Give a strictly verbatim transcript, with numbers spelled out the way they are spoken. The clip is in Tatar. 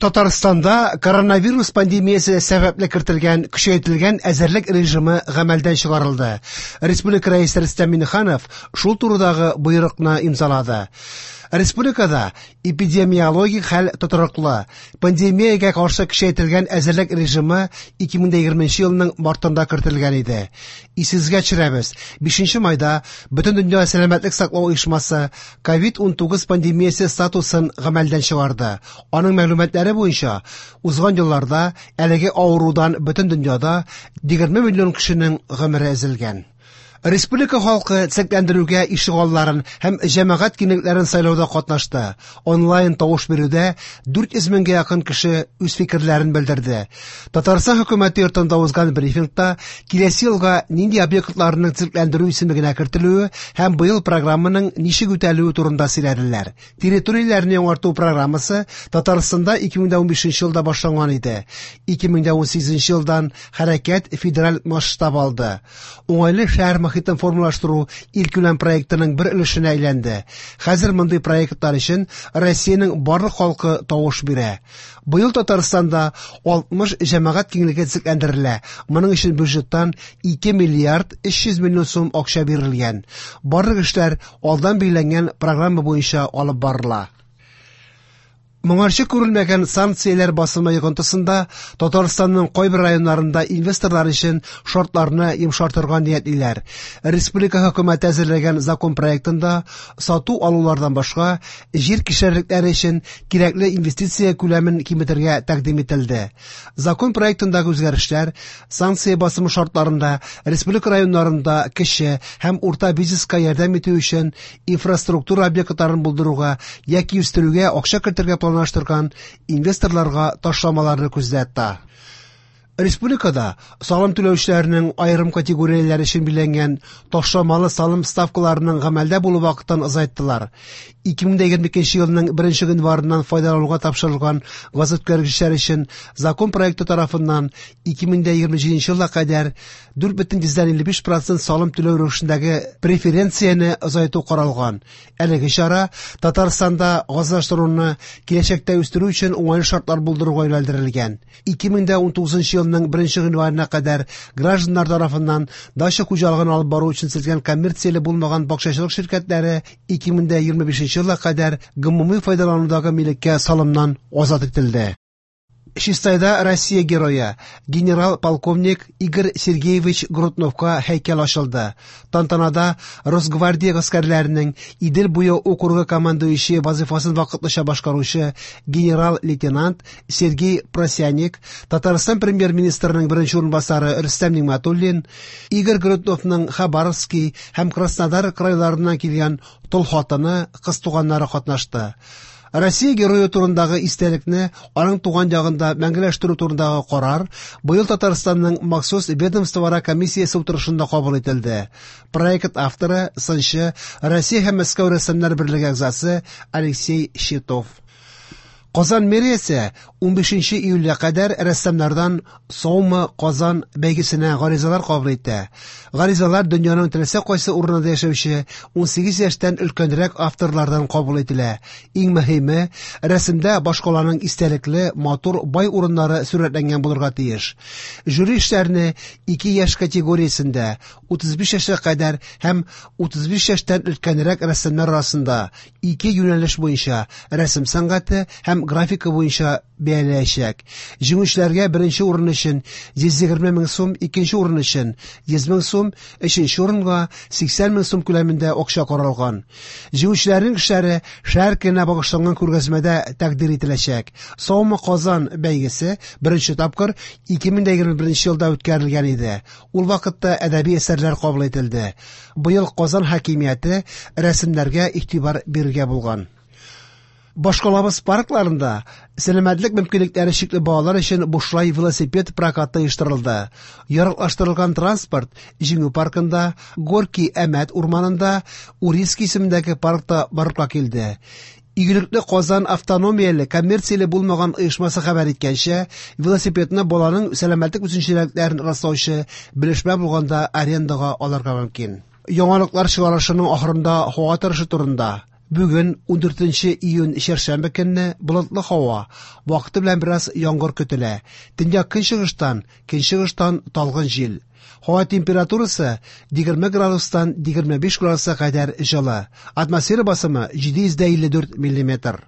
Татарстанда коронавирус пандемиясе сәбәпле кертелгән көчәйтелгән әзерлек режимы гамәлдән чыгарылды. Республика Рәисе Рөстәм Миңнеханов шул турыдагы боерыкны имзалады. Республикада эпидемиологик хәл тотрыклы. Пандемиягә каршы көчәйтелгән әзерлек режимы ике мең егерменче елның мартында кертелгән иде. Исегезгә төшерәбез, бишенче майда Бөтендөнья сәламәтлек саклау оешмасы ковид унтугыз пандемиясе статусын гамәлдән чыгарды. Аның мәгълүматлары буенча, узган елларда әлеге авырудан бөтен дөньяда егерме миллион кешенең гомере өзелгән. Республика халкы төзекләндерүгә ишегалларын һәм җәмәгать киңлекләрен сайлауда катнашты. Онлайн тавыш бирүдә дүрт йөз меңгә якын кеше үз фикерләрен белдерде. Татарстан хөкүмәте йортында узган брифингта киләсе елга нинди объектларның төзекләндерү исемлегенә кертелүе һәм быел программаның ничек үтәлүе турында сөйләделәр. Территорияләрне яңарту программасы Татарстанда ике мең унбишенче елда башланган иде. Ике мең унсигезенче елдан хәрәкәт федераль масштаб алды. Уңайлы шәһәр мохитен формалаштыру илкүләм проектының бер өлешенә әйләнде. Хәзер мондый проектлар өчен Россиянең барлык халкы тавыш бирә. Быел Татарстанда алтмыш җәмәгать киңлеге төзекләндерелә. Моның өчен бюджеттан ике миллиард өч йөз миллион сум акча бирелгән. Барлык эшләр алдан билгеләнгән программа буенча алып барыла. Моңарчы күрелмәгән санкцияләр басымы йогынтысында Татарстанның кайбер районнарында инвесторлар өчен шартларны йомшартырга ниятлиләр. Республика хөкүмәте әзерләгән закон проектында сату алулардан башка җир кишәрлекләре өчен кирәкле инвестиция күләмен киметергә тәкъдим ителде. Закон проектындагы үзгәрешләр санкция басымы шартларында республика районнарында кече һәм урта бизнеска ярдәм итү өчен инфраструктура объектларын булдыруга яки үстерүгә акча кертергә планлаштырган инвесторларга ташламаларны күздә тота. Республикада салым түләүчеләрнең аерым категорияләре өчен билгеләнгән ташламалы салым ставкаларының гамәлдә булу вакытын озайттылар. Ике мең егерме икенче елның беренче гыйнварыннан файдалануга тапшырылган газүткәргечләр өчен закон проекты тарафыннан ике мең егерме җиденче елга кадәр дүрт бөтен йөздән илле биш процент салым түләү рәвешендәге преференцияне озайту каралган. Әлеге чара Татарстанда газлаштыруны киләчәктә үстерү өчен уңайлы шартлар булдыруга юнәлдерелгән. Ике мең унтугызынчы елның беренче гыйнварына кадәр гражданнар тарафыннан дача хуҗалыгын алып бару өчен төзелгән коммерцияле булмаган бакчачылык ширкәтләре ике мең егерме бишенче елга кадәр гомуми файдаланудагы милеккә салымнан азат ителде. Чистайда Россия герое, генерал-полковник Игорь Сергеевич Грудновка һәйкәл ачылды. Тантанада Росгвардия гаскәрләренең Идел буе округы командующие вазифасын вакытлыча башкаручы генерал-лейтенант Сергей Просяник, Татарстан премьер-министрының беренче урынбасары Рөстәм Нигъмәтуллин, Игорь Грудновның Хабаровский һәм Краснодар крайларыннан килгән тол хатыны, кыз туганнары катнашты. Россия герое турындагы истәлекне аның туган ягында мәңгеләштерү турындагы карар быел Татарстанның махсус ведомствоара комиссиясе утырышында кабул ителде. Проект авторы, сынчы, Россия һәм Мәскәү рәссамнар берлеге әгъзасы Алексей Щитов. Казан мэриясе унбишенче июльгә кадәр рәссамнардан Саумы Казан бәйгесенә гаризалар кабул итә. Гаризалар дөньяның теләсә кайсы урынында яшәүче унсигез яшьтән өлкәнрәк авторлардан кабул ителә. Иң мөһиме, рәсемдә башкаланың истәлекле, матур, бай урыннары сурәтләнгән булырга тиеш. Жюри эшләрне ике яшь категориясендә утыз биш яшькә кадәр һәм утыз биш яшьтән өлкәнрәк рәссамнар арасында ике юнәлеш буенча рәсем сәнгате һәм графика буенча бәяләячәк. Җиңүчеләргә беренче урын өчен йөз егерме мең сум, икенче урын өчен йөз мең сум, өченче урынга сиксән мең сум күләмендә акча каралган. Җиңүчеләрнең эшләре шәһәр көненә багышланган күргәзмәдә тәкъдир ителәчәк. Саумы Казан бәйгесе беренче тапкыр ике мең егерме беренче елда үткәрелгән иде. Ул вакытта әдәби әсәрләр кабул ителде. Быел Казан хакимияте рәсемнәргә игътибар бирергә булган. Башкалабыз паркларында сәламәтлек мөмкинлекләре чикле балалар өчен бушлай велосипед прокаты оештырылды. Яраклаштырылган транспорт Җиңү паркында, Горький Әмәт урманында, Урицкий исемендәге паркта барлыкка килде. Игелекле Казан автономияле коммерцияле булмаган оешмасы хәбәр иткәнчә, велосипедны баланың сәламәтлек үзенчәлекләрен раслаучы белешмә булганда арендага алырга мөмкин. Яңалыклар чыгарылышының ахырында һава торышы турында. Бүген ундүртенче июнь чәршәмбе көнне болытлы һава, вакыты белән бераз яңгыр көтелә. Төньяк көнчыгыштан, көнчыгыштан талгын җил. Һава температурасы егерме градустан егерме биш градуска кадәр җылы. Атмосфера басымы җиде йөз дә илле дүрт миллиметр.